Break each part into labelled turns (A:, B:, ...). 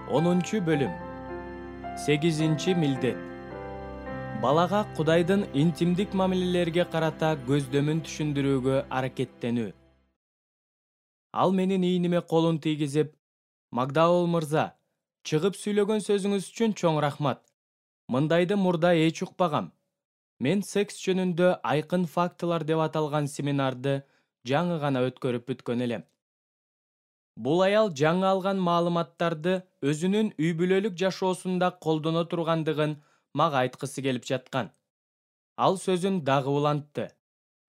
A: 10-бөлүм. 8-милдет. Балага Кудайдын интимдик мамилелерге карата көздөмүн түшүндүрүүгө аракеттенүү. Ал менин ийниме колун тийгизип, "Макдаул мырза, чыгып сүйлөгөн сөзүңүз үчүн чоң рахмат. Мындайды мурда эч укпагам. Мен секс жөнүндө айкын фактылар деп аталган семинарды жаңы гана өткөрүп бүткөн элем. Бул аял жаңы алган маалыматтарды өзүнүн үй бүлөлүк жашоосунда колдоно тургандыгын мага айткысы келип жаткан. Ал сөзүн дагы улантты.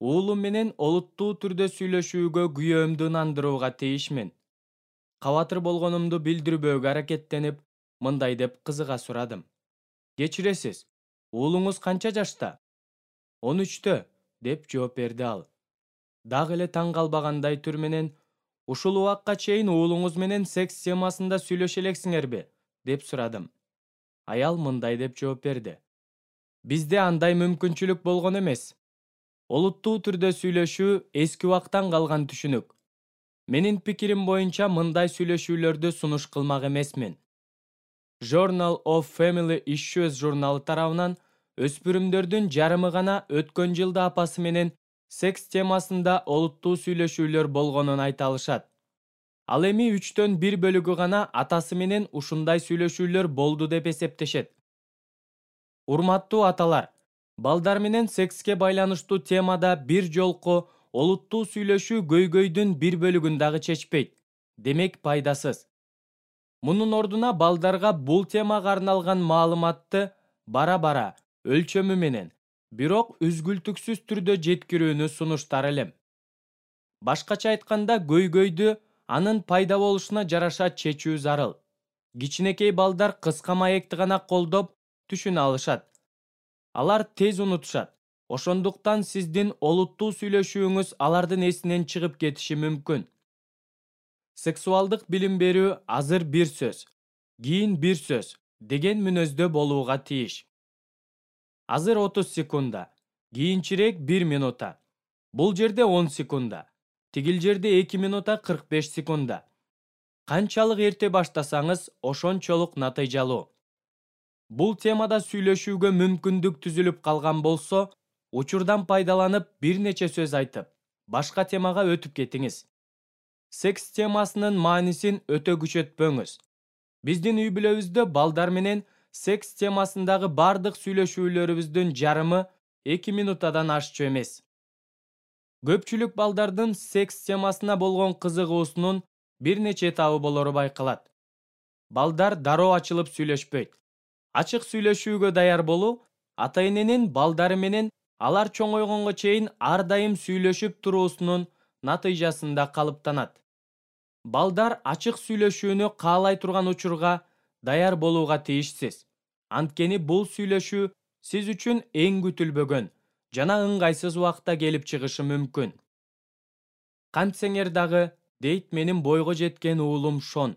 A: Уулум менен олуттуу түрдө сүйлөшүүгө күйөөмдү ынандырууга тийишмин. Кабатыр болгонумду билдирбөөгө аракеттенип, мындай деп кызыга сурадым. Кечиресиз, уулуңуз канча жашта? 13-тө, деп жооп берди ал. Дагы эле таң калбагандай түр менен, ушул убакка чейин уулуңуз менен секс темасында сүйлөшө элексиңерби? Деп сурадым. Аял мындай деп жооп берди. Бизде андай мүмкүнчүлүк болгон эмес. Олуттуу түрдө сүйлөшүү эски убактан калган түшүнүк. Менин пикирим боюнча мындай сүйлөшүүлөрдү сунуш кылмак эмесмин. Journal of Family Issues журналы тарабынан өспүрүмдөрдүн жарымы гана өткөн жылда апасы менен секс темасында олуттуу сүйлөшүүлөр болгонун айта алышат. Ал эми 1/3 бөлүгү гана атасы менен ушундай сүйлөшүүлөр болду деп эсептешет. Урматтуу аталар, балдар менен секске байланыштуу темада бир жолку олуттуу сүйлөшүү көйгөйдүн бир бөлүгүн дагы чечпейт. Демек пайдасыз. Мунун ордуна балдарга бул темага арналган маалыматты бара-бара, өлчөмү менен, бирок үзгүлтүксүз түрдө жеткирүүнү сунуштар элем. Башкача айтканда, көйгөйдү анын пайда болушуна жараша чечүү зарыл. Кичинекей балдар кыска маекти гана колдоп түшүнө алышат. Алар тез унутушат. Ошондуктан сиздин олуттуу сүйлөшүүңүз алардын эсинен чыгып кетиши мүмкүн. Сексуалдык билим берүү азыр бир сөз, кийин бир сөз деген мүнөздө болууга тийиш. Азыр 30 секунда, кийинчерээк 1 минута. Бул жерде 10 секунда. Тигил жерде 2 минута 45 секунда. Канчалык эрте баштасаңыз, ошончолук натыйжалуу. Бул темада сүйлөшүүгө мүмкүндүк түзүлүп калган болсо, учурдан пайдаланып бир нече сөз айтып, башка темага өтүп кетиңиз. Секс темасынын маанисин өтө күчөтпөңүз. Биздин үй бүлөбүздө балдар менен секс темасындагы бардык сүйлөшүүлөрүбүздүн жарымы 2 минутадан ашчу эмес. Көпчүлүк балдардын секс темасына болгон кызыгуусунун бир нече этабы болору байкалат. Балдар дароо ачылып сүйлөшпөйт. Ачык сүйлөшүүгө даяр болуу ата-эненин балдары менен алар чоңойгонго чейин ар дайым сүйлөшүп туруусунун натыйжасында калыптанат. Балдар ачык сүйлөшүүнү каалай турган учурга даяр болууга тийишсиз. Анткени бул сүйлөшүү сиз үчүн эң күтүлбөгөн жана ыңгайсыз убакта келип чыгышы мүмкүн. Кантсеңер дагы, дейт менин бойго жеткен уулум Шон.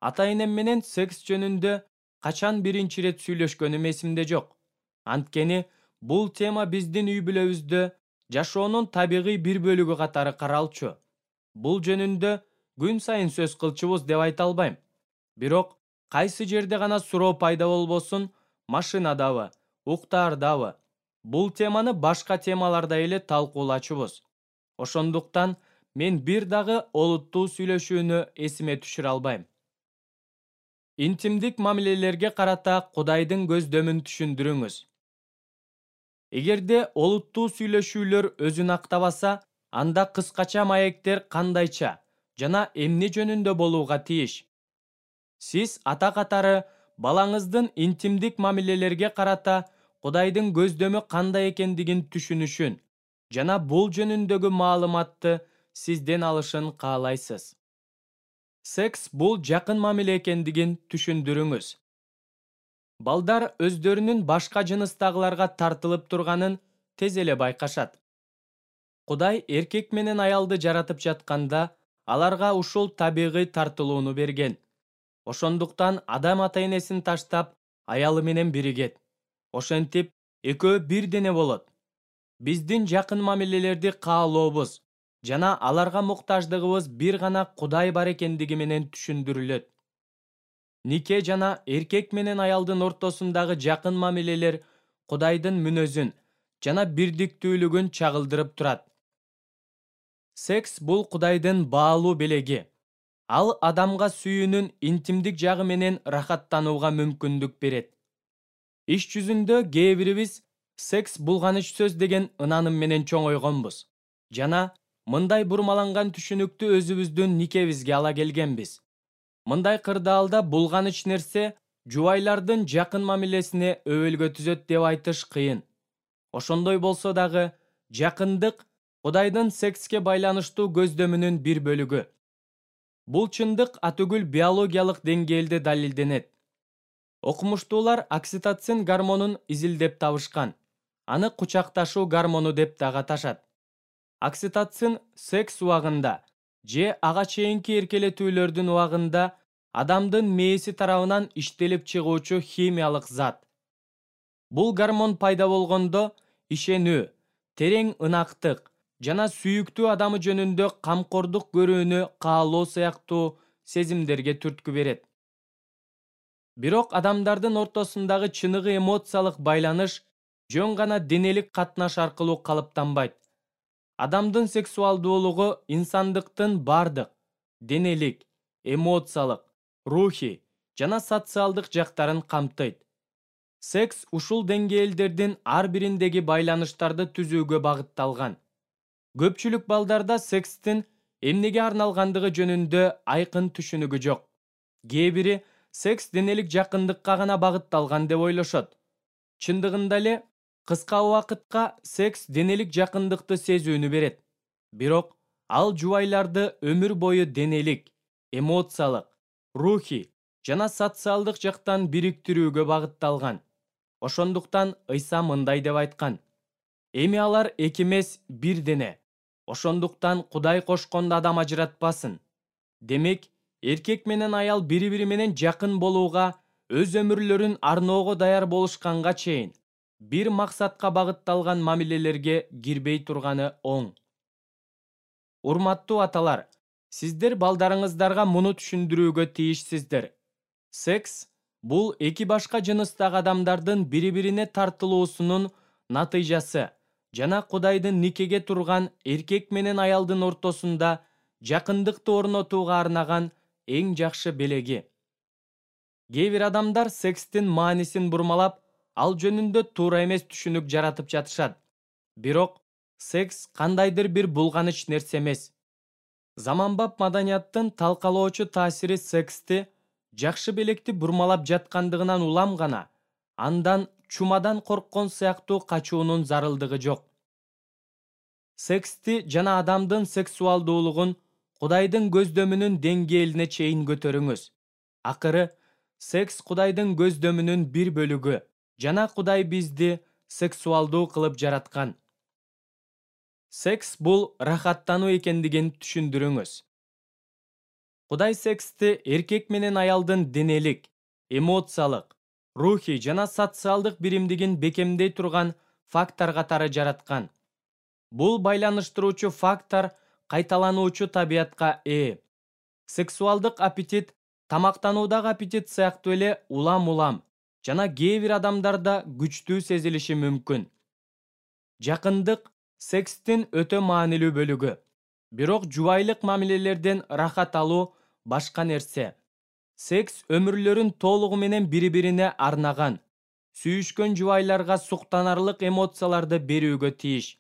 A: Ата-энем менен секс жөнүндө качан биринчи ирет сүйлөшкөнүм эсимде жок. Анткени бул тема биздин үй бүлөбүздө жашоонун табигый бир бөлүгү катары каралчу. Бул жөнүндө күн сайын сөз кылчубуз деп айта албайм. Бирок кайсы жерде гана суроо пайда болбосун, машинадабы, уктаардабы, бул теманы башка темаларда эле талкуулачубуз. Ошондуктан мен бир дагы олуттуу сүйлөшүүнү эсиме түшүрө албайм. Интимдик мамилелерге карата Кудайдын көздөмүн түшүндүрүңүз. Эгерде олуттуу сүйлөшүүлөр өзүн актабаса, анда кыскача маектер кандайча жана эмне жөнүндө болууга тийиш? Сиз ата катары балаңыздын интимдик мамилелерге карата Кудайдын көздөмү кандай экендигин түшүнүшүн жана бул жөнүндөгү маалыматты сизден алышын каалайсыз. Секс бул жакын мамиле экендигин түшүндүрүңүз. Балдар өздөрүнүн башка жыныстагыларга тартылып турганын тез эле байкашат. Кудай эркек менен аялды жаратып жатканда, аларга ушул табигый тартылууну берген. Ошондуктан адам ата-энесин таштап, аялы менен биригет. Ошентип, экөө бир дене болот. Биздин жакын мамилелерди каалообуз жана аларга муктаждыгыбыз бир гана Кудай бар экендиги менен түшүндүрүлөт. нике жана эркек менен аялдын ортосундагы жакын мамилелер Кудайдын мүнөзүн жана бирдиктүүлүгүн чагылдырып турат. Секс бул Кудайдын баалуу белеги. Ал адамга сүйүүнүн интимдик жагы менен рахаттанууга мүмкүндүк берет. Иш жүзүндө кээ бирибиз секс булганыч сөз деген ынаным менен чоңойгонбуз жана мындай бурмаланган түшүнүктү өзүбүздүн никебизге ала келгенбиз. Мындай кырдаалда булганыч нерсе жубайлардын жакын мамилесине өбөлгө түзөт деп айтыш кыйын. Ошондой болсо дагы жакындык Кудайдын секске байланыштуу көздөмүнүн бир бөлүгү. Бул чындык атүгүл биологиялык деңгээлде далилденет. Окумуштуулар окситоцин гормонун изилдеп табышкан. Аны кучакташуу гормону деп дагы аташат. Окситоцин секс убагында же ага чейинки эркелетүүлөрдүн убагында адамдын мээси тарабынан иштелип чыгуучу химиялык зат. Бул гормон пайда болгондо ишенүү, терең ынактык жана сүйүктүү адамы жөнүндө камкордук көрүүнү каалоо сыяктуу сезимдерге түрткү берет. Бирок адамдардын ортосундагы чыныгы эмоциялык байланыш жөн гана денелик катнаш аркылуу калыптанбайт. Адамдын сексуалдуулугу инсандыктын бардык денелик, эмоциялык, рухий жана социалдык жактарын камтыйт. Секс ушул деңгээлдердин ар бириндеги байланыштарды түзүүгө багытталган. Көпчүлүк балдарда секстин эмнеге арналгандыгы жөнүндө айкын түшүнүгү жок. Кээ бири секс денелик жакындыкка гана багытталган деп ойлошот. Чындыгында эле кыска убакытка секс денелик жакындыкты сезүүнү берет. Бирок ал жубайларды өмүр бою денелик, эмоциялык, рухий жана социалдык жактан бириктирүүгө багытталган. Ошондуктан Ыйса мындай деп айткан: «Эми алар эки эмес, бир дене. Ошондуктан Кудай кошконду адам ажыратпасын». Демек, эркек менен аял бири-бири менен жакын болууга, өз өмүрлөрүн арноого даяр болушканга чейин бир максатка багытталган мамилелерге кирбей турганы оң. Урматтуу аталар, сиздер балдарыңыздарга муну түшүндүрүүгө тийишсиздер. Секс бул эки башка жыныстагы адамдардын бири-бирине тартылуусунун натыйжасы жана Кудайдын никеге турган эркек менен аялдын ортосунда жакындыкты орнотууга арнаган эң жакшы белеги. Кээ бир адамдар секстин маанисин бурмалап, ал жөнүндө туура эмес түшүнүк жаратып жатышат. Бирок секс кандайдыр бир булганыч нерсе эмес. Заманбап маданияттын талкалоочу таасири сексти жакшы белекти бурмалап жаткандыгынан улам гана, андан чумадан корккон сыяктуу качуунун зарылдыгы жок. Сексти жана адамдын сексуалдуулугун Кудайдын көздөмүнүн деңгээлине чейин көтөрүңүз. Акыры, секс Кудайдын көздөмүнүн бир бөлүгү жана Кудай бизди сексуалдуу кылып жараткан. Секс бул рахаттануу экендигин түшүндүрүңүз. Кудай сексти эркек менен аялдын денелик, эмоциялык, рухий жана социалдык биримдигин бекемдей турган фактор катары жараткан. Бул байланыштыруучу фактор кайталануучу табиятка ээ. Сексуалдык аппетит тамактануудагы аппетит сыяктуу эле улам-улам жана кээ бир адамдарда күчтүү сезилиши мүмкүн. Жакындык секстин өтө маанилүү бөлүгү. Бирок жубайлык мамилелерден рахат алуу башка нерсе. Секс өмүрлөрүн толугу менен бири-бирине арнаган, сүйүшкөн жубайларга суктанарлык эмоцияларды берүүгө тийиш.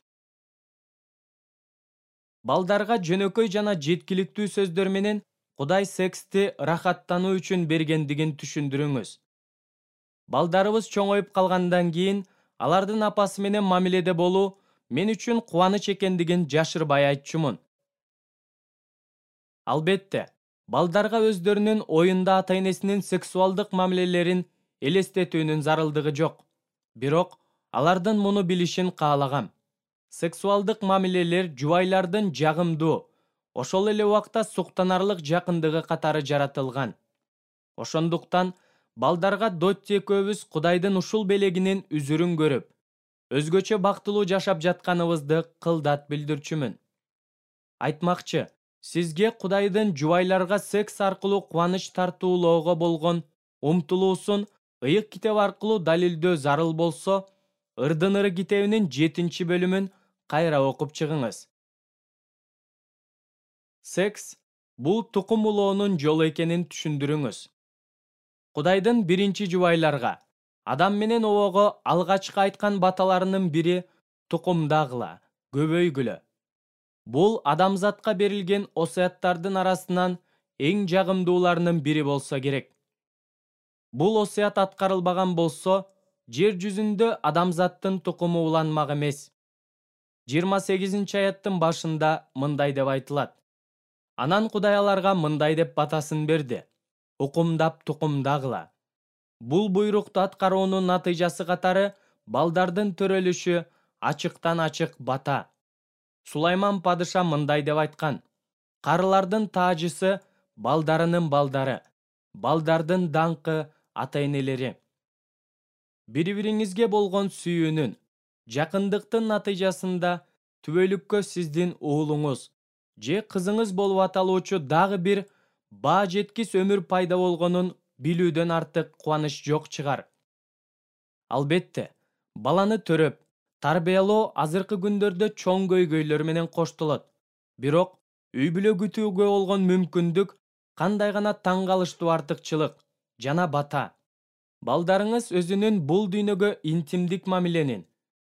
A: Балдарга жөнөкөй жана жеткиликтүү сөздөр менен Кудай сексти рахаттануу үчүн бергендигин түшүндүрүңүз. Балдарыбыз чоңоюп калгандан кийин алардын апасы менен мамиледе болуу мен үчүн кубаныч экендигин жашырбай айтчумун. Албетте, балдарга өздөрүнүн оюнда ата-энесинин сексуалдык мамилелерин элестетүүнүн зарылдыгы жок. Бирок алардын муну билишин каалагам. Сексуалдык мамилелер жубайлардын жагымдуу, ошол эле убакта суктанарлык жакындыгы катары жаратылган. Ошондуктан балдарга Дотти экөөбүз Кудайдын ушул белегинин үзүрүн көрүп, өзгөчө бактылуу жашап жатканыбызды кылдат билдирчүмүн. Айтмакчы, сизге Кудайдын жубайларга секс аркылуу кубаныч тартуулоого болгон умтулуусун ыйык китеп аркылуу далилдөө зарыл болсо, Ырдын ыры китебинин 7-бөлүмүн кайра окуп чыгыңыз. Секс бул тукум улоонун жолу экенин түшүндүрүңүз. Кудайдын биринчи жубайларга, Адам менен Обого алгачкы айткан баталарынын бири тукумдагыла, көбөйгүлө. Бул адамзатка берилген осуяттардын арасынан эң жагымдууларынын бири болсо керек. Бул осуят аткарылбаган болсо, жер жүзүндө адамзаттын тукуму уланмак эмес. 28-аяттын башында мындай деп айтылат. Анан Кудай аларга мындай деп батасын берди: укумдап тукумдагыла. Бул буйрукту аткаруунун натыйжасы катары балдардын төрөлүшү ачыктан ачык бата. Сулайман падыша мындай деп айткан: карылардын таажысы балдарынын балдары, балдардын даңкы ата-энелери. Бири-бириңизге болгон сүйүүнүн, жакындыктын натыйжасында түбөлүккө сиздин уулуңуз же кызыңыз болуп аталуучу дагы бир баа жеткис өмүр пайда болгонун билүүдөн артык кубаныч жок чыгар. Албетте, баланы төрөп, тарбиялоо азыркы күндөрдө чоң көйгөйлөр менен коштолот. Бирок үй бүлө күтүүгө болгон мүмкүндүк кандай гана таң калыштуу артыкчылык жана бата. Балдарыңыз өзүнүн бул дүйнөгө интимдик мамиленин,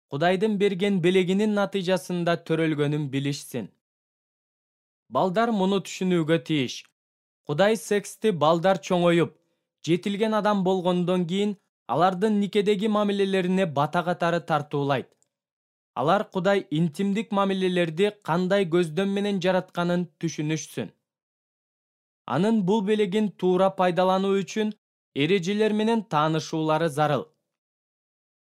A: Кудайдын берген белегинин натыйжасында төрөлгөнүн билишсин. Балдар муну түшүнүүгө тийиш. Кудай сексти балдар чоңоюп, жетилген адам болгондон кийин алардын никедеги мамилелерине бата катары тартуулайт. Алар Кудай интимдик мамилелерди кандай көздөм менен жаратканын түшүнүшсүн. Анын бул белегин туура пайдалануу үчүн эрежелер менен таанышуулары зарыл.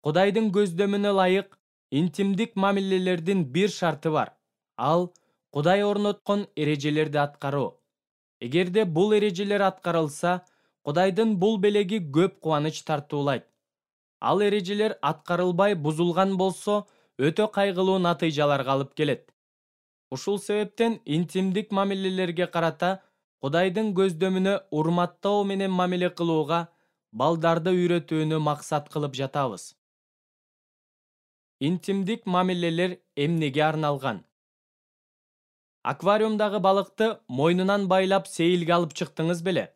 A: Кудайдын көздөмүнө ылайык интимдик мамилелердин бир шарты бар. Ал Кудай орноткон эрежелерди аткаруу. Эгерде бул эрежелер аткарылса, Кудайдын бул белеги көп кубаныч тартуулайт. Ал эрежелер аткарылбай бузулган болсо, өтө кайгылуу натыйжаларга алып келет. Ушул себептен интимдик мамилелерге карата Кудайдын көздөмүнө урматтоо менен мамиле кылууга балдарды үйрөтүүнү максат кылып жатабыз. Интимдик мамилелер эмнеге арналган? Аквариумдагы балыкты мойнунан байлап сейилге алып чыктыңыз беле?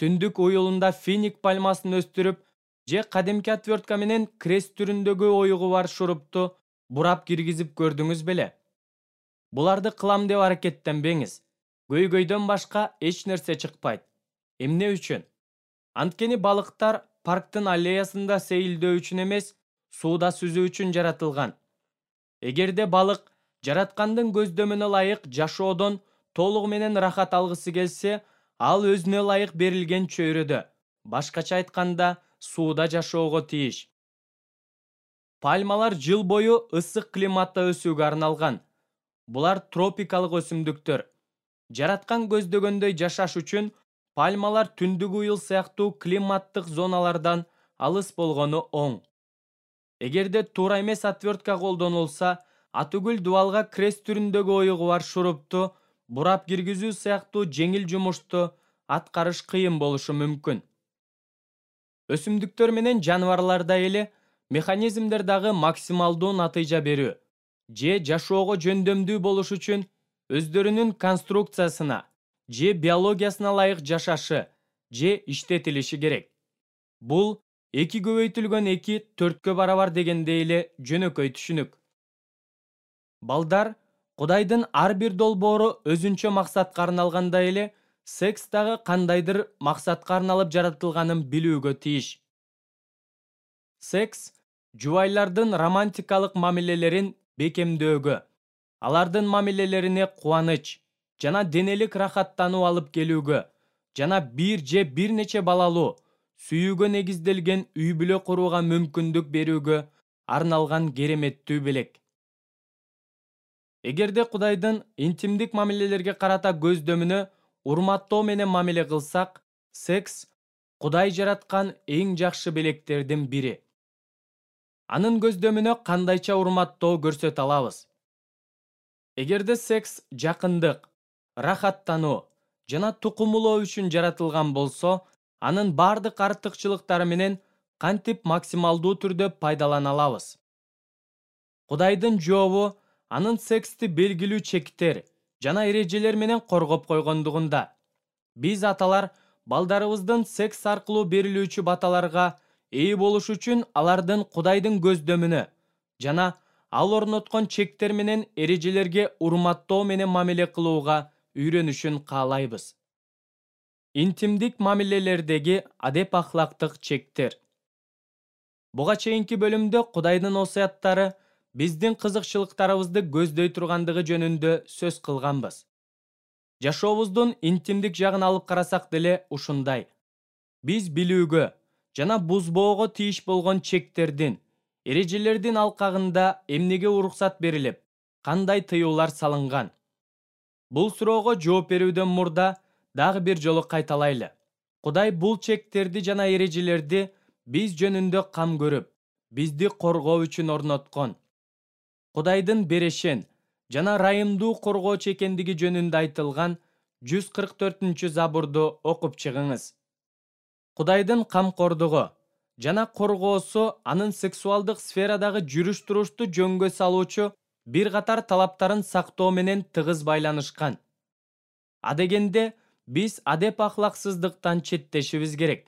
A: Түндүк уюлунда финик пальмасын өстүрүп, же кадимки отвертка менен крест түрүндөгү оюгу бар шурупту бурап киргизип көрдүңүз беле? Буларды кылам деп аракеттенбеңиз. Көйгөйдөн башка эч нерсе чыкпайт. Эмне үчүн? Анткени балыктар парктын аллеясында сейилдөө үчүн эмес, сууда сүзүү үчүн жаратылган. Эгерде балык жараткандын көздөмүнө ылайык жашоодон толугу менен рахат алгысы келсе, ал өзүнө ылайык берилген чөйрөдө, башкача айтканда, сууда жашоого тийиш. Пальмалар жыл бою ысык климатта өсүүгө арналган. Булар тропикалык өсүмдүктөр. Жараткан көздөгөндөй жашаш үчүн пальмалар түндүк уюл сыяктуу климаттык зоналардан алыс болгону оң. Эгерде туура эмес отвертка колдонулса, атүгүл дубалга крест түрүндөгү оюгу бар шурупту бурап киргизүү сыяктуу жеңил жумушту аткарыш кыйын болушу мүмкүн. Өсүмдүктөр менен жаныбарларда эле механизмдер дагы максималдуу натыйжа берүү же жашоого жөндөмдүү болуш үчүн өздөрүнүн конструкциясына же биологиясына ылайык жашашы же иштетилиши керек. Бул 2 көбөйтүлгөн 2 4-кө барабар дегендей эле жөнөкөй түшүнүк. Балдар Кудайдын ар бир долбоору өзүнчө максатка арналгандай эле, секс дагы кандайдыр максатка арналып жаратылганын билүүгө тийиш. Секс жубайлардын романтикалык мамилелерин бекемдөөгө, алардын мамилелерине кубаныч жана денелик рахаттануу алып келүүгө жана бир же бир нече балалуу, сүйүүгө негизделген үй бүлө курууга мүмкүндүк берүүгө арналган кереметтүү белек. Эгерде Кудайдын интимдик мамилелерге карата көздөмүнө урматтоо менен мамиле кылсак, секс Кудай жараткан эң жакшы белектердин бири. Анын көздөмүнө кандайча урматтоо көрсөтө алабыз? Эгерде секс жакындык, рахаттануу жана тукумулоо үчүн жаратылган болсо, анын бардык артыкчылыктары менен кантип максималдуу түрдө пайдалана алабыз. Кудайдын жообу анын сексти белгилүү чектер жана эрежелер менен коргоп койгондугунда. Биз аталар балдарыбыздын секс аркылуу берилүүчү баталарга ээ болуш үчүн алардын Кудайдын көздөмүнө жана ал орноткон чектер менен эрежелерге урматтоо менен мамиле кылууга үйрөнүшүн каалайбыз. Интимдик мамилелердеги адеп ахлактык чектер. Буга чейинки бөлүмдө Кудайдын осуяттары биздин кызыкчылыктарыбызды көздөй тургандыгы жөнүндө сөз кылганбыз. Жашообуздун интимдик жагын алып карасак деле ушундай. Биз билүүгө жана бузбоого тийиш болгон чектердин, эрежелердин алкагында эмнеге уруксат берилип, кандай тыюулар салынган? Бул суроого жооп берүүдөн мурда дагы бир жолу кайталайлы. Кудай бул чектерди жана эрежелерди биз жөнүндө кам көрүп, бизди коргоо үчүн орноткон. Кудайдын берешен жана ырайымдуу коргоочу экендиги жөнүндө айтылган 144-забурду окуп чыгыңыз. Кудайдын камкордугу жана коргоосу анын сексуалдык сферадагы жүрүш-турушту жөнгө салуучу бир катар талаптарын сактоо менен тыгыз байланышкан. Адегенде биз адеп ахлаксыздыктан четтешибиз керек.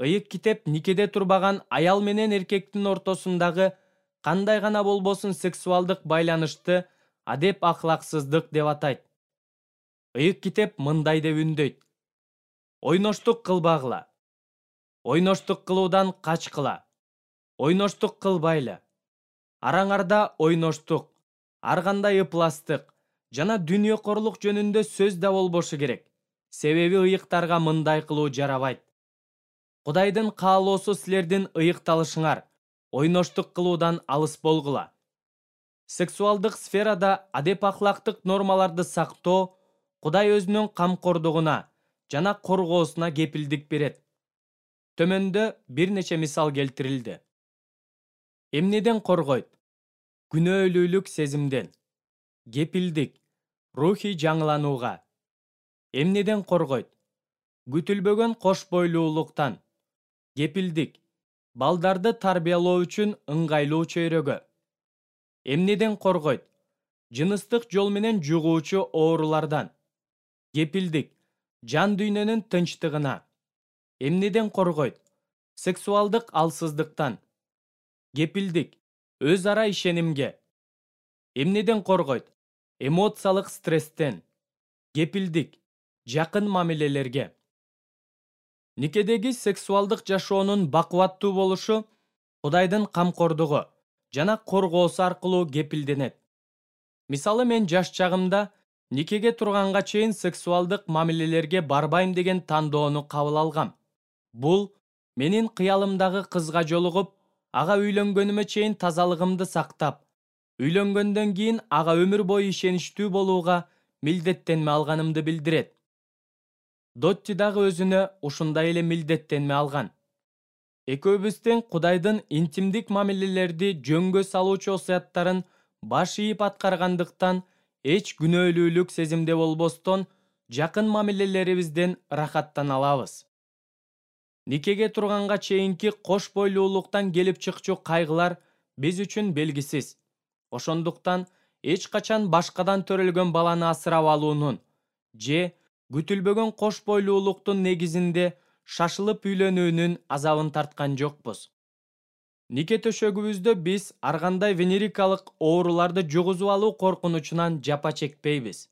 A: Ыйык китеп никеде турбаган аял менен эркектин ортосундагы кандай гана болбосун сексуалдык байланышты адеп ахлаксыздык деп атайт. Ыйык китеп мындай деп үндөйт: ойноштук кылбагыла, ойноштук кылуудан качкыла, ойноштук кылбайлы. Араңарда ойноштук, ар кандай ыпластык жана дүнүйөкорлук жөнүндө сөз да болбошу керек. Себеби ыйыктарга мындай кылуу жарабайт. Кудайдын каалоосу силердин ыйыкталышыңар, ойноштук кылуудан алыс болгула. Сексуалдык сферада адеп ахлактык нормаларды сактоо Кудай өзүнүн камкордугуна жана коргоосуна кепилдик берет. Төмөндө бир нече мисал келтирилди. Эмнеден коргойт? Күнөөлүүлүк сезимден. Кепилдик рухий жаңыланууга. Эмнеден коргойт? Күтүлбөгөн кош бойлуулуктан. Кепилдик балдарды тарбиялоо үчүн ыңгайлуу чөйрөгө. Эмнеден коргойт? Жыныстык жол менен жугуучу оорулардан. Кепилдик жан дүйнөнүн тынчтыгына. Эмнеден коргойт? Сексуалдык алсыздыктан. Кепилдик өз ара ишенимге. Эмнеден коргойт? Эмоциялык стресстен. Кепилдик жакын мамилелерге. Никедеги сексуалдык жашоонун бакубаттуу болушу Кудайдын камкордугу жана коргоосу аркылуу кепилденет. Мисалы, мен жаш чагымда никеге турганга чейин сексуалдык мамилелерге барбайм деген тандоону кабыл алгам. Бул менин кыялымдагы кызга жолугуп, ага үйлөнгөнүмө чейин тазалыгымды сактап, үйлөнгөндөн кийин ага өмүр бою ишеничтүү болууга милдеттенме алганымды билдирет. Дотти дагы өзүнө ушундай эле милдеттенме алган. Экөөбүз тең Кудайдын интимдик мамилелерди жөнгө салуучу осуяттарын баш ийип аткаргандыктан эч күнөөлүүлүк сезимде болбостон жакын мамилелерибизден рахаттана алабыз. Никеге турганга чейинки кош бойлуулуктан келип чыкчу кайгылар биз үчүн белгисиз. Ошондуктан эч качан башкадан төрөлгөн баланы асырап алуунун же күтүлбөгөн кош бойлуулуктун негизинде шашылып үйлөнүүнүн азабын тарткан жокпуз. Нике төшөгүбүздө биз ар кандай венерикалык ооруларды жугузуп алуу коркунучунан жапа чекпейбиз.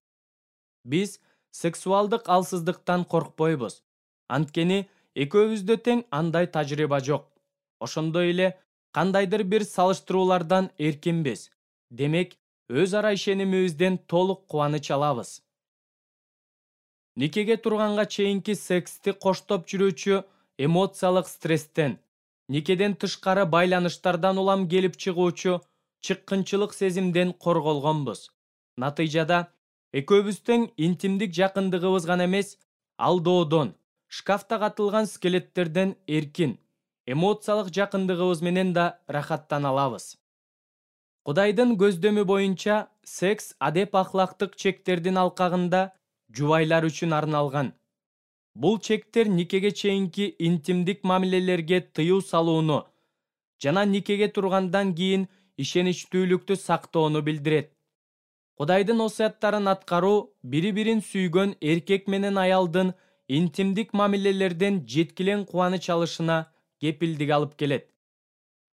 A: Биз сексуалдык алсыздыктан коркпойбуз. Анткени экөөбүздө тең андай тажрыйба жок. Ошондой эле кандайдыр бир салыштыруулардан эркинбиз. Демек, өз ара ишенимибизден толук кубаныч алабыз. Никеге турганга чейинки сексти коштоп жүрүүчү эмоциялык стресстен, никеден тышкары байланыштардан улам келип чыгуучу чыккынчылык сезимден корголгонбуз. Натыйжада экөөбүз тең интимдик жакындыгыбыз гана эмес, алdoодон, шкафта катылган скелеттерден эркин, эмоциялык жакындыгыбыз менен да рахаттана алабыз. Кудайдын көздөмү боюнча секс адеп ахлактык чектердин алкагында жубайлар үчүн арналган. Бул чектер никеге чейинки интимдик мамилелерге тыюу салууну жана никеге тургандан кийин ишеничтүүлүктү сактоону билдирет. Кудайдын осуяттарын аткаруу бири-бирин сүйгөн эркек менен аялдын интимдик мамилелерден жеткилең кубаныч алышына кепилдик алып келет.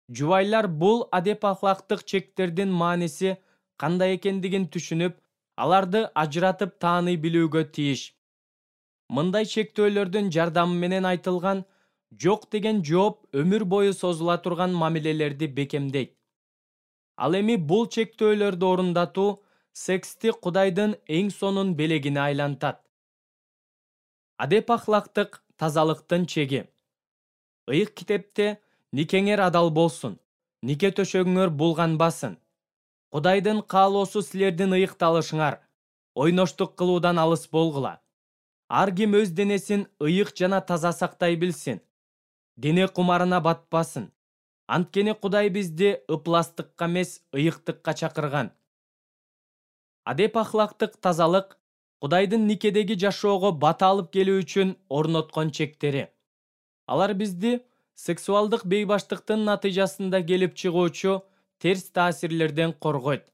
A: Жубайлар бул адеп ахлактык чектердин мааниси кандай экендигин түшүнүп, аларды ажыратып тааный билүүгө тийиш. Мындай чектөөлөрдүн жардамы менен айтылган жок деген жооп өмүр бою созула турган мамилелерди бекемдейт. Ал эми бул чектөөлөрдү орундатуу сексти Кудайдын эң сонун белегине айлантат. Адеп ахлактык тазалыктын чеги. Ыйык китепте никеңер адал болсун, нике төшөгүңөр булганбасын. Кудайдын каалоосу силердин ыйыкталышыңар, ойноштук кылуудан алыс болгула. Ар ким өз денесин ыйык жана таза сактай билсин. Дене кумарына батпасын. Анткени Кудай бизди ыпластыкка эмес, ыйыктыкка чакырган. Адеп ахлактык тазалык Кудайдын никедеги жашоого бата алып келүү үчүн орноткон чектери. Алар бизди сексуалдык бейбаштыктын натыйжасында келип чыгуучу терс таасирлерден коргойт.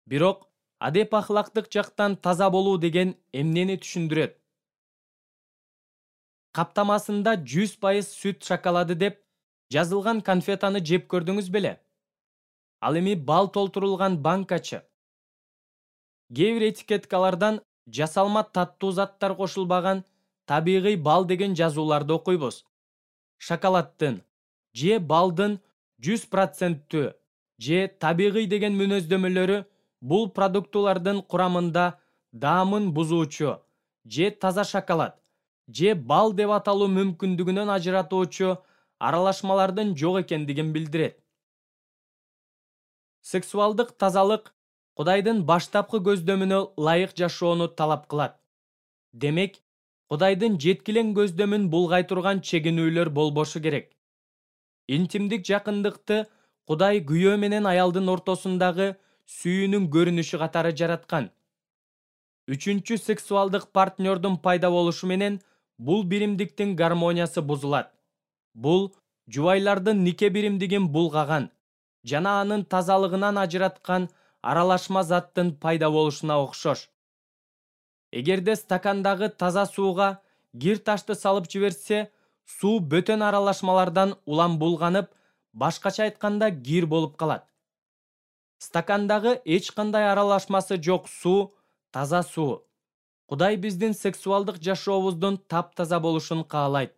A: Бирок адеп ахлактык жактан таза болуу деген эмнени түшүндүрөт? Каптамасында 100% сүт шоколады деп жазылган конфетаны жеп көрдүңүз беле? Ал эми бал толтурулган банкачы. Кээ бир этикеткалардан жасалма таттуу заттар кошулбаган табигый бал деген жазууларды окуйбуз. Шоколаддын же балдын 100% же табигый деген мүнөздөмөлөрү бул продуктулардын курамында даамын бузуучу же таза шоколад же бал деп аталуу мүмкүндүгүнөн ажыратуучу аралашмалардын жок экендигин билдирет. Сексуалдык тазалык Кудайдын баштапкы көздөмүнө ылайык жашоону талап кылат. Демек, Кудайдын жеткилең көздөмүн булгай турган чегинүүлөр болбошу керек. Интимдик жакындыкты Кудай күйөө менен аялдын ортосундагы сүйүүнүн көрүнүшү катары жараткан. Үчүнчү сексуалдык партнердун пайда болушу менен бул биримдиктин гармониясы бузулат. Бул жубайлардын нике биримдигин булгаган жана анын тазалыгынан ажыраткан аралашма заттын пайда болушуна окшош. Эгерде стакандагы таза сууга кир ташты салып жиберсе, суу бөтөн аралашмалардан улам булганып, башкача айтканда кир болуп калат. Стакандагы эч кандай аралашмасы жок суу таза суу. Кудай биздин сексуалдык жашообуздун таптаза болушун каалайт.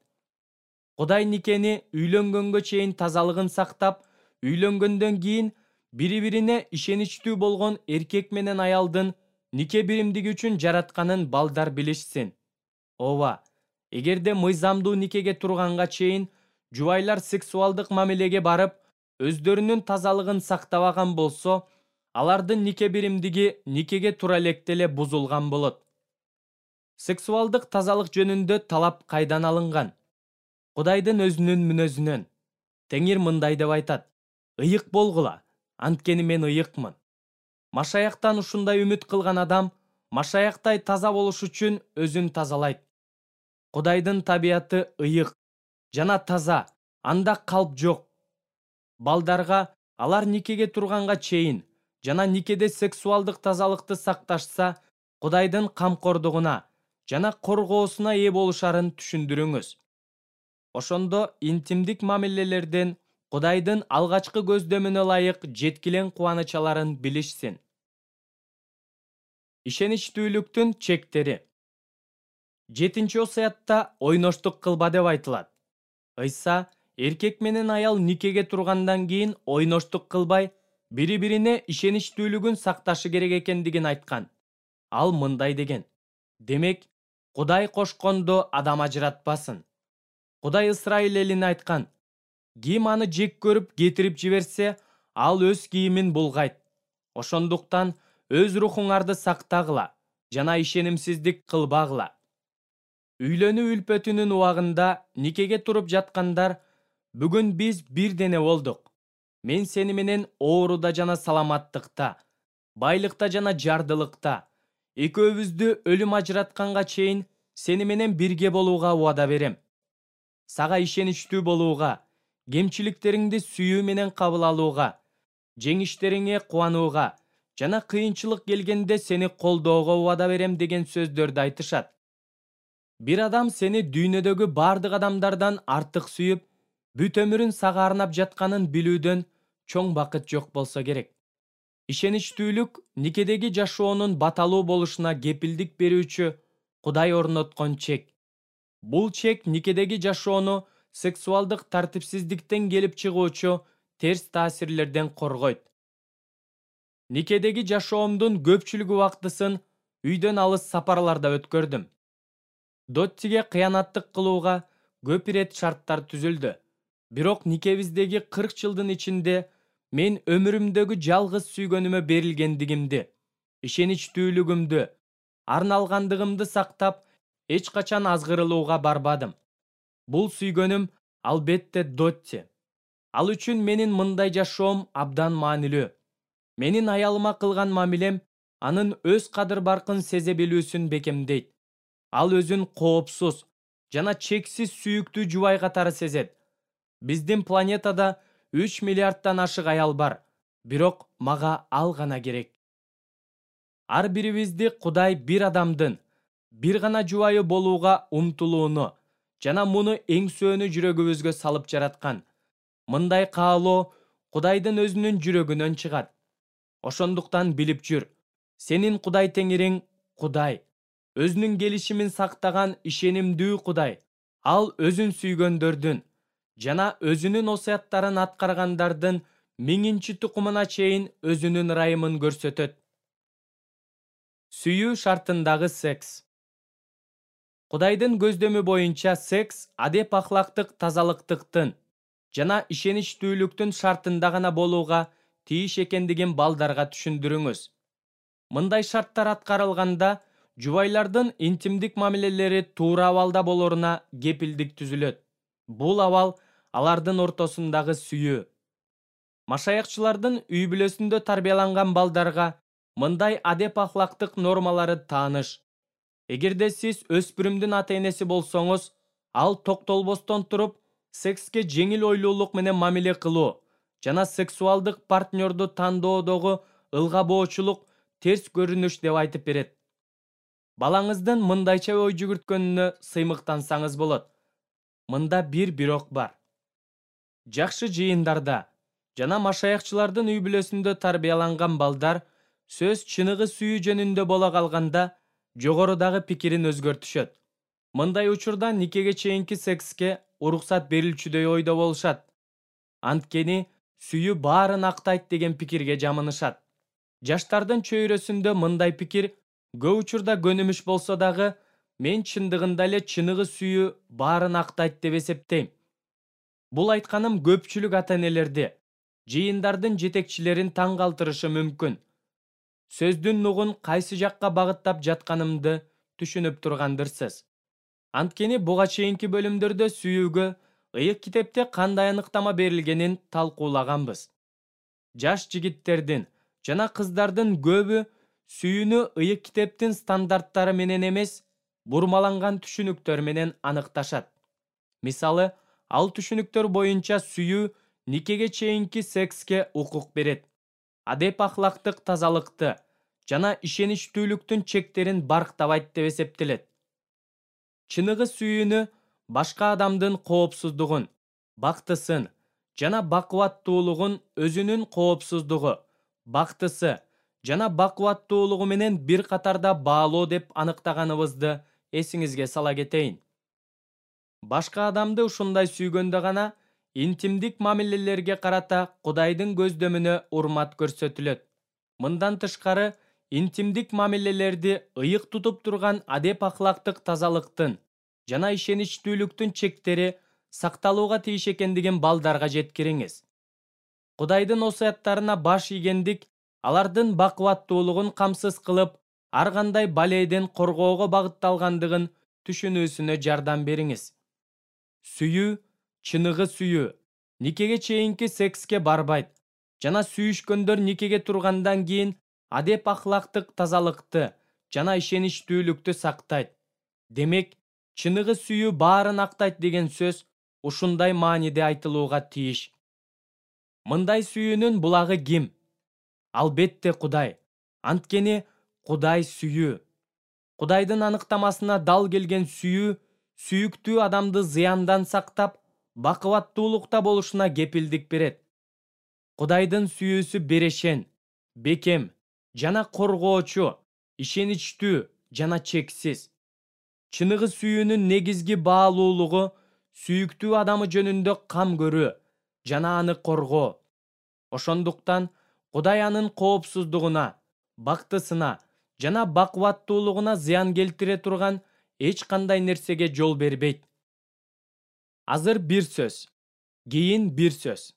A: Кудай никени үйлөнгөнгө чейин тазалыгын сактап, үйлөнгөндөн кийин бири-бирине ишеничтүү болгон эркек менен аялдын нике биримдиги үчүн жаратканын балдар билишсин. Ооба, эгерде мыйзамдуу никеге турганга чейин жубайлар сексуалдык мамилеге барып, өздөрүнүн тазалыгын сактабаган болсо, алардын нике биримдиги никеге тура электе эле бузулган болот. Сексуалдык тазалык жөнүндө талап кайдан алынган? Кудайдын өзүнүн мүнөзүнөн. Теңир мындай деп айтат: ыйык болгула, анткени мен ыйыкмын. Машаяктан ушундай үмүт кылган адам машаяктай таза болуш үчүн өзүн тазалайт. Кудайдын табияты ыйык жана таза, анда калп жок. Балдарга алар никеге турганга чейин жана никеде сексуалдык тазалыкты сакташса, Кудайдын камкордугуна жана коргоосуна ээ болушарын түшүндүрүңүз. Ошондо интимдик мамилелерден Кудайдын алгачкы көздөмүнө ылайык жеткилең кубаныч аларын билишсин. Ишеничтүүлүктүн чектери. 7-осуятта ойноштук кылба деп айтылат. Ыйса эркек менен аял никеге тургандан кийин ойноштук кылбай, бири-бирине ишеничтүүлүгүн сакташы керек экендигин айткан. Ал мындай деген: демек, Кудай кошкондо адам ажыратпасын. Кудай Исрайыл элине айткан: ким аны жек көрүп кетирип жиберсе, ал өз кийимин булгайт. Ошондуктан өз рухуңарды сактагыла жана ишенимсиздик кылбагыла. Үйлөнүү үлпөтүнүн убагында никеге туруп жаткандар, бүгүн биз бир дене болдук. Мен сени менен ооруда жана саламаттыкта, байлыкта жана жардылыкта, экөөбүздү өлүм ажыратканга чейин сени менен бирге болууга убада берем. Сага ишеничтүү болууга, кемчиликтериңди сүйүү менен кабыл алууга, жеңиштериңе кубанууга жана кыйынчылык келгенде сени колдоого убада берем деген сөздөрдү айтышат. Бир адам сени дүйнөдөгү бардык адамдардан артык сүйүп, бүт өмүрүн сага арнап жатканын билүүдөн чоң бакыт жок болсо керек. Ишеничтүүлүк никедеги жашоонун баталуу болушуна кепилдик берүүчү Кудай орноткон чек. Бул чек никедеги жашоону сексуалдык тартипсиздиктен келип чыгуучу терс таасирлерден коргойт. Никедеги жашоомдун көпчүлүк убактысын үйдөн алыс сапарларда өткөрдүм. Доттиге кыянаттык кылууга көп ирет шарттар түзүлдү. Бирок никебиздеги 40 жылдын ичинде мен өмүрүмдөгү жалгыз сүйгөнүмө берилгендигимди, ишеничтүүлүгүмдү, арналгандыгымды сактап, эч качан азгырылууга барбадым. Бул сүйгөнүм албетте Дотти. Ал үчүн менин мындай жашоом абдан маанилүү. Менин аялыма кылган мамилем анын өз кадыр-баркын сезе билүүсүн бекемдейт. Ал өзүн коопсуз жана чексиз сүйүктүү жубай катары сезет. Биздин планетада 3 миллиарддан ашык аял бар, бирок мага ал гана керек. Ар бирибизди Кудай бир адамдын бир гана жубайы болууга умтулууну жана муну эңсөөнү жүрөгүбүзгө салып жараткан. Мындай каалоо Кудайдын өзүнүн жүрөгүнөн чыгат. Ошондуктан билип жүр, сенин Кудай теңириң Кудай, өзүнүн келишимин сактаган ишенимдүү Кудай. Ал өзүн сүйгөндөрдүн жана өзүнүн осуяттарын аткаргандардын миңинчи тукумуна чейин өзүнүн ырайымын көрсөтөт. Сүйүү шартындагы секс. Кудайдын көздөмү боюнча секс адеп-ахлактык тазалыктыктын жана ишеничтүүлүктүн шартында гана болууга тийиш экендигин балдарга түшүндүрүңүз. Мындай шарттар аткарылганда жубайлардын интимдик мамилелери туура абалда болоруна кепилдик түзүлөт. Бул абал алардын ортосундагы сүйүү. Машаякчылардын үй бүлөсүндө тарбияланган балдарга мындай адеп-ахлактык нормалары тааныш. Эгерде сиз өспүрүмдүн ата-энеси болсоңуз, ал токтолбостон туруп, секске жеңил ойлуулук менен мамиле кылуу жана сексуалдык партнерду тандоодогу ылгабоочулук терс көрүнүш деп айтып берет. Балаңыздын мындайча ой жүгүрткөнүнө сыймыктансаңыз болот. Мында бир бирок бар. Жакшы жыйындарда жана машаякчылардын үй бүлөсүндө тарбияланган балдар сөз чыныгы сүйүү жөнүндө боло калганда жогорудагы пикирин өзгөртүшөт. Мындай учурда никеге чейинки секске уруксат берилчүдөй ойдо болушат. Анткени сүйүү баарын актайт деген пикирге жамынышат. Жаштардын чөйрөсүндө мындай пикир көп учурда көнүмүш болсо дагы, мен чындыгында эле чыныгы сүйүү баарын актайт деп эсептейм. Бул айтканым көпчүлүк ата-энелерди, жыйындардын жетекчилерин таң калтырышы мүмкүн. Сөздүн нугун кайсы жакка багыттап жатканымды түшүнүп тургандырсыз. Анткени буга чейинки бөлүмдөрдө сүйүүгө ыйык китепте кандай аныктама берилгенин талкуулаганбыз. Жаш жигиттердин жана кыздардын көбү сүйүүнү ыйык китептин стандарттары менен эмес, бурмаланган түшүнүктөр менен аныкташат. Мисалы, ал түшүнүктөр боюнча сүйүү никеге чейинки секске укук берет. Адеп-ахлактык тазалыкты жана ишеничтүүлүктүн чектерин барктабайт деп эсептелет. Чыныгы сүйүүнү башка адамдын коопсуздугун, бактысын жана бакубаттуулугун өзүнүн коопсуздугу, бактысы жана бакубаттуулугу менен бир катарда баалоо деп аныктаганыбызды эсиңизге сала кетейин. Башка адамды ушундай сүйгөндө гана интимдик мамилелерге карата Кудайдын көздөмүнө урмат көрсөтүлөт. Мындан тышкары, интимдик мамилелерди ыйык тутуп турган адеп-ахлактык тазалыктын жана ишеничтүүлүктүн чектери сакталууга тийиш экендигин балдарга жеткириңиз. Кудайдын осуяттарына баш ийгендик алардын бакубаттуулугун камсыз кылып, ар кандай балейден коргоого багытталгандыгын түшүнүүсүнө жардам бериңиз. Сүйүү, чыныгы сүйүү, никеге чейинки секске барбайт жана сүйүшкөндөр никеге тургандан кийин адеп-ахлактык тазалыкты жана ишеничтүүлүктү сактайт. Демек, чыныгы сүйүү баарын актайт деген сөз ушундай мааниде айтылууга тийиш. Мындай сүйүүнүн булагы ким? Албетте Кудай. Анткени Кудай сүйүү. Кудайдын аныктамасына дал келген сүйүү сүйүктүү адамды зыяндан сактап, бакубаттуулукта болушуна кепилдик берет. Кудайдын сүйүүсү берешен, бекем жана коргоочу, ишеничтүү жана чексиз. Чыныгы сүйүүнүн негизги баалуулугу сүйүктүү адамы жөнүндө кам көрүү жана аны коргоо. Ошондуктан Кудай анын коопсуздугуна, бактысына жана бакубаттуулугуна зыян келтире турган эч кандай нерсеге жол бербейт. Азыр бир сөз, кийин бир сөз.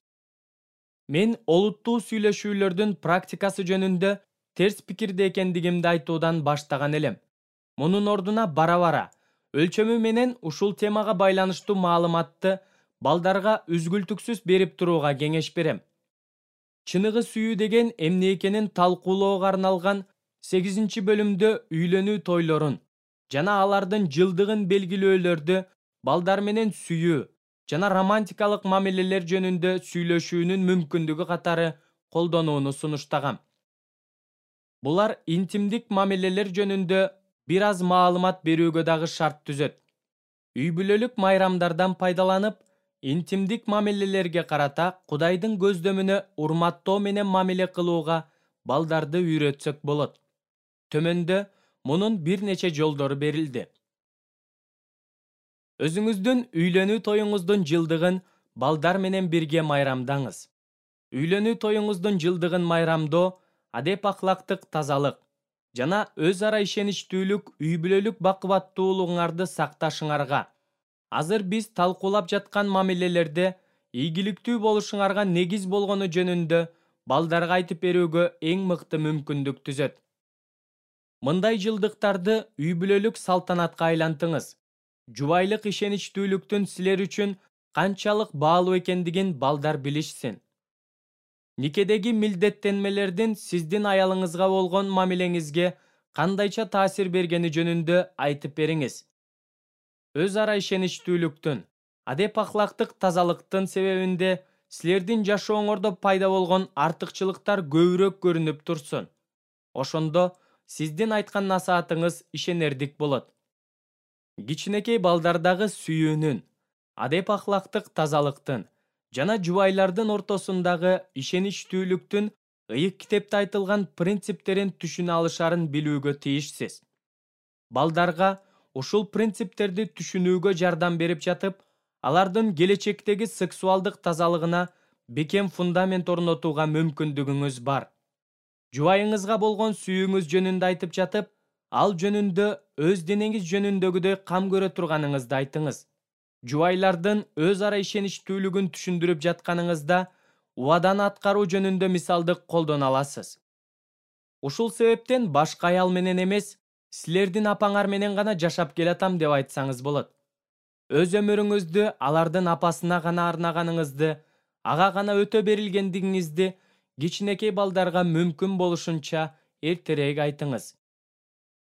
A: Мен олуттуу сүйлөшүүлөрдүн практикасы жөнүндө терс пикирде экендигимди айтуудан баштаган элем. Мунун ордуна бара-бара өлчөмү менен ушул темага байланыштуу маалыматты балдарга үзгүлтүксүз берип турууга кеңеш берем. Чыныгы сүйүү деген эмне экенин талкуулоого арналган 8-бөлүмдө үйлөнүү тойлорун жана алардын жылдыгын белгилөөлөрдү балдар менен сүйүү жана романтикалык мамилелер жөнүндө сүйлөшүүнүн мүмкүндүгү катары колдонууну сунуштагам. Булар интимдик мамилелер жөнүндө бир аз маалымат берүүгө дагы шарт түзөт. Үй бүлөлүк майрамдардан пайдаланып, интимдик мамилелерге карата Кудайдын көздөмүнө урматтоо менен мамиле кылууга балдарды үйрөтсөк болот. Төмөндө мунун бир нече жолдору берилди. Өзүңүздүн үйлөнүү тоюңуздун жылдыгын балдар менен бирге майрамдаңыз. Үйлөнүү тоюңуздун жылдыгын майрамдоо адеп ахлактык тазалык жана өз ара ишеничтүүлүк үй бүлөлүк бакубаттуулугуңарды сакташыңарга, азыр биз талкуулап жаткан мамилелерде ийгиликтүү болушуңарга негиз болгону жөнүндө балдарга айтып берүүгө эң мыкты мүмкүндүк түзөт. Мындай жылдыктарды үй бүлөлүк салтанатка айлантыңыз. Жубайлык ишеничтүүлүктүн силер үчүн канчалык баалуу экендигин балдар билишсин. Никедеги милдеттенмелердин сиздин аялыңызга болгон мамилеңизге кандайча таасир бергени жөнүндө айтып бериңиз. Өз ара ишеничтүүлүктүн, адеп ахлактык тазалыктын себебинде силердин жашооңордо пайда болгон артыкчылыктар көбүрөөк көрүнүп турсун. Ошондо сиздин айткан насаатыңыз ишенердик болот. Кичинекей балдардагы сүйүүнүн, адеп ахлактык тазалыктын жана жубайлардын ортосундагы ишеничтүүлүктүн ыйык китепте айтылган принциптерин түшүнө алышарын билүүгө тийишсиз. Балдарга ушул принциптерди түшүнүүгө жардам берип жатып, алардын келечектеги сексуалдык тазалыгына бекем фундамент орнотууга мүмкүндүгүңүз бар. Жубайыңызга болгон сүйүүңүз жөнүндө айтып жатып, ал жөнүндө өз денеңиз жөнүндөгүдөй кам көрө турганыңызды айтыңыз. Жубайлардын өз ара ишеничтүүлүгүн түшүндүрүп жатканыңызда убаданы аткаруу жөнүндө мисалды колдоно аласыз. Ушул себептен башка аял менен эмес, силердин апаңар менен гана жашап келатам деп айтсаңыз болот. Өз өмүрүңүздү алардын апасына гана арнаганыңызды, ага гана өтө берилгендигиңизди кичинекей балдарга мүмкүн болушунча эртерээк айтыңыз.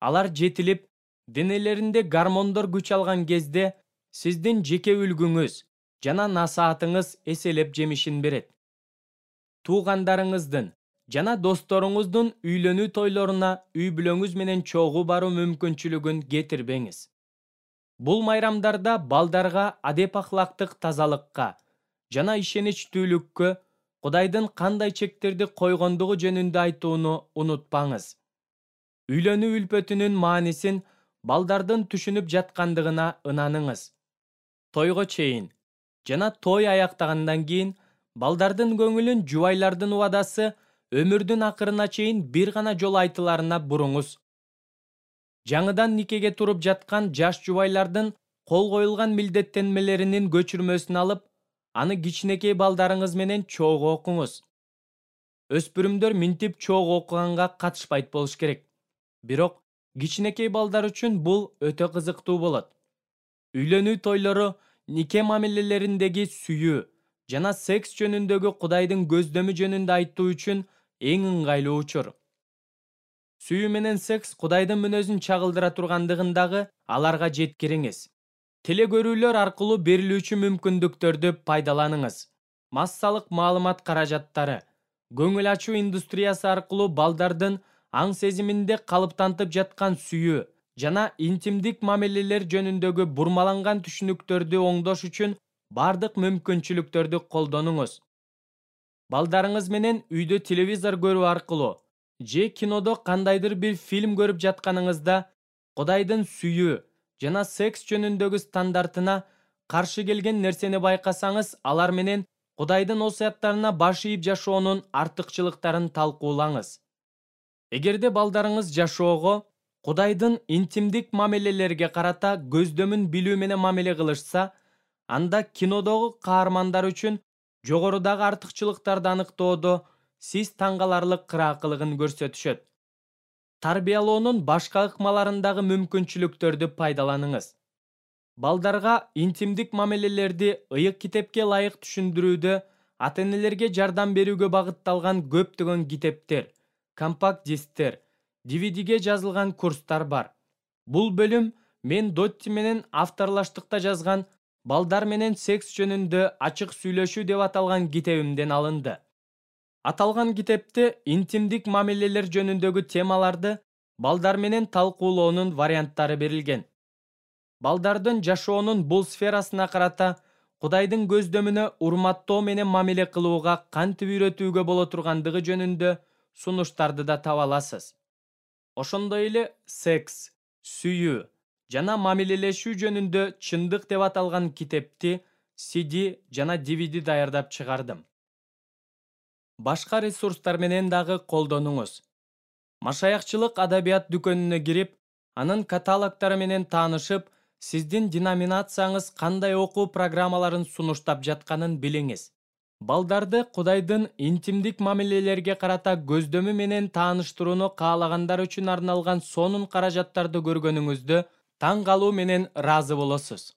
A: Алар жетилип, денелеринде гормондор күч алган кезде сиздин жеке үлгүңүз жана насаатыңыз эселеп жемишин берет. Туугандарыңыздын жана досторуңуздун үйлөнүү тойлоруна үй бүлөңүз менен чогуу баруу мүмкүнчүлүгүн кетирбеңиз. Бул майрамдарда балдарга адеп ахлактык тазалыкка жана ишеничтүүлүккө Кудайдын кандай чектерди койгондугу жөнүндө айтууну унутпаңыз. Үйлөнүү үлпөтүнүн маанисин балдардын түшүнүп жаткандыгына ынаныңыз. Тойго чейин жана той аяктагандан кийин балдардын көңүлүн жубайлардын убадасы өмүрдүн акырына чейин бир гана жолу айтыларына буруңуз. Жаңыдан никеге туруп жаткан жаш жубайлардын кол коюлган милдеттенмелеринин көчүрмөсүн алып, аны кичинекей балдарыңыз менен чогуу окуңуз. Өспүрүмдөр минтип чогуу окуганга катышпайт болуш керек. Бирок кичинекей балдар үчүн бул өтө кызыктуу болот. Үйлөнүү тойлору нике мамилелериндеги сүйүү жана секс жөнүндөгү Кудайдын көздөмү жөнүндө айтуу үчүн эң ыңгайлуу учур. Сүйүү менен секс Кудайдын мүнөзүн чагылдыра тургандыгындагы аларга жеткириңиз. Теле көрүүлөр аркылуу берилүүчү мүмкүндүктөрдү пайдаланыңыз. Массалык маалымат каражаттары. Көңүл ачуу индустриясы аркылуу балдардын аң сезиминде калыптантып жаткан сүйүү жана интимдик мамилелер жөнүндөгү бурмаланган түшүнүктөрдү оңдош үчүн бардык мүмкүнчүлүктөрдү колдонуңуз. Балдарыңыз менен үйдө телевизор көрүү аркылуу же кинодо кандайдыр бир фильм көрүп жатканыңызда Кудайдын сүйүү жана секс жөнүндөгү стандартына каршы келген нерсени байкасаңыз, алар менен Кудайдын осуяттарына баш ийип жашоонун артыкчылыктарын талкуулаңыз. Эгерде балдарыңыз жашоого Кудайдын интимдик мамилелерге карата көздөмүн билүү менен мамиле кылышса, анда кинодогу каармандар үчүн жогорудагы артыкчылыктарды аныктоодо сиз таң каларлык кыраакылыгын көрсөтүшөт. Тарбиялоонун башка ыкмаларындагы мүмкүнчүлүктөрдү пайдаланыңыз. Балдарга интимдик мамилелерди ыйык китепке ылайык түшүндүрүүдө ата-энелерге жардам берүүгө багытталган көптөгөн китептер, компакт дисктер, DVDге жазылган курстар бар. Бул бөлүм мен Дотти менен авторлаштыкта жазган «Балдар менен секс жөнүндө ачык сүйлөшүү» деп аталган китебимден алынды. Аталган китепте интимдик мамилелер жөнүндөгү темаларды балдар менен талкуулоонун варианттары берилген. Балдардын жашоонун бул сферасына карата Кудайдын көздөмүнө урматтоо менен мамиле кылууга кантип үйрөтүүгө боло тургандыгы жөнүндө сунуштарды да таба аласыз. Ошондой эле секс, сүйүү жана мамилелешүү жөнүндө чындык деп аталган китепти CD жана DVD даярдап чыгардым. Башка ресурстар менен дагы колдонуңуз. Машаякчылык адабият дүкөнүнө кирип, анын каталогдору менен таанышып, сиздин деноминацияңыз кандай окуу программаларын сунуштап жатканын билиңиз. Балдарды Кудайдын интимдик мамилелерге карата көздөмү менен тааныштырууну каалагандар үчүн арналган сонун каражаттарды көргөнүңүздө таң калуу менен ыраазы болосуз.